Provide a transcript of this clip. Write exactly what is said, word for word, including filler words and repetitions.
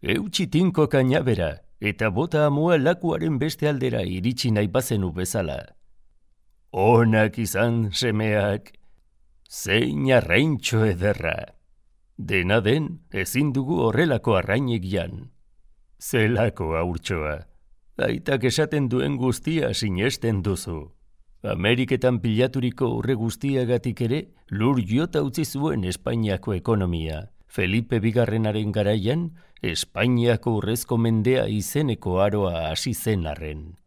Eutsi tinko kainabera, eta bota amua lakuaren beste aldera iritsi nahi bazenu bezala. Onak izan semeak, zein arraintxo ederra. Dena den, ezin dugu horrelako arrainek jan. Zelako haurtxoa, aitak esaten duen guztia sinesten duzu. Ameriketan pilaturiko urre guztiagatik ere, lur jota utzi zuen Espainiako ekonomia. Felipe bigarrenaren garaian, Espainiako urrezko mendea izeneko aroa hasi zen arren.